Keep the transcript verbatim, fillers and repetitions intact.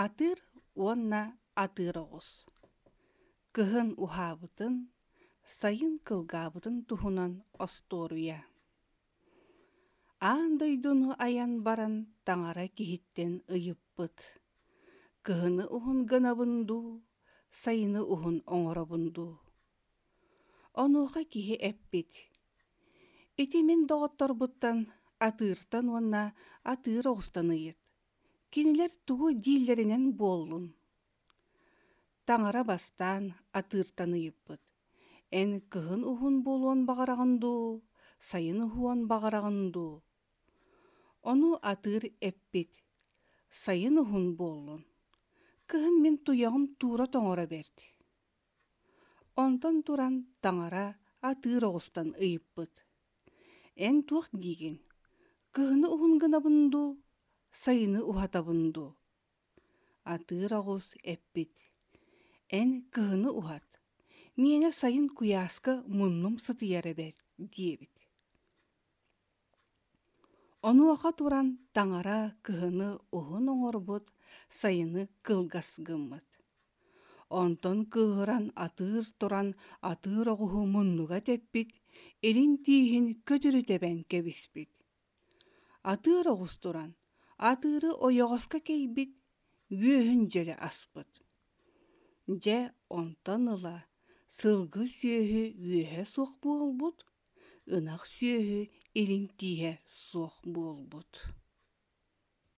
Атыыр уонна атыыр оҕус Кыһын уһаабытын, сайын кылгаабытын туһунан остуоруйа. Аан дойдуну айан баран таҥара киһиттэн ыйыппыт: «Кыһыны уһун гынабын дуу, сайыны уһун оҥоробун дуу?» Онуоха киһи эппит: «Ити мин доҕотторбуттан атыыртан уонна атыыр оҕустан ыйыт, кинилэр тугу дииллэринэн буоллун». Таҥара бастаан атыыртан ыйыппыт: «Эн кыһын уһун буолуон баҕараҕын дуу, сайын уһуон баҕараҕын дуу?» Ону атыыр эппит: «Сайын уһун буоллун, кыһын мин туйаҕым туура тоҥоро бэрт». Онтон туран таҥара атыыр оҕустан ыйыппыт: «Эн туох диигин, кыһыны уһун гынабын дуу, сайыны уһатабын дуу?» Атыыр оҕус эппит: «Эн кыһыны уһат, миэнэ сайын куйааска муннум сытыйар эбээт» диэбит. Онуоха туран таҥара кыһыны уһун оҥорбут, сайыны кылгас гыммыт. Онтон кыыһыран атыыр туран атыыр оҕуһу муннуга тэппит, илин тииһин көтүрү тэбэн кэбиспит. Атыыр оҕус туран атыыры ойоҕоско кэйбит, үөһүн дьөлө аспыт. Дьэ онтон ыла сылгы сүөһү үөһэ суох буолбут, ынах сүөһү илин тииһэ суох буолбут.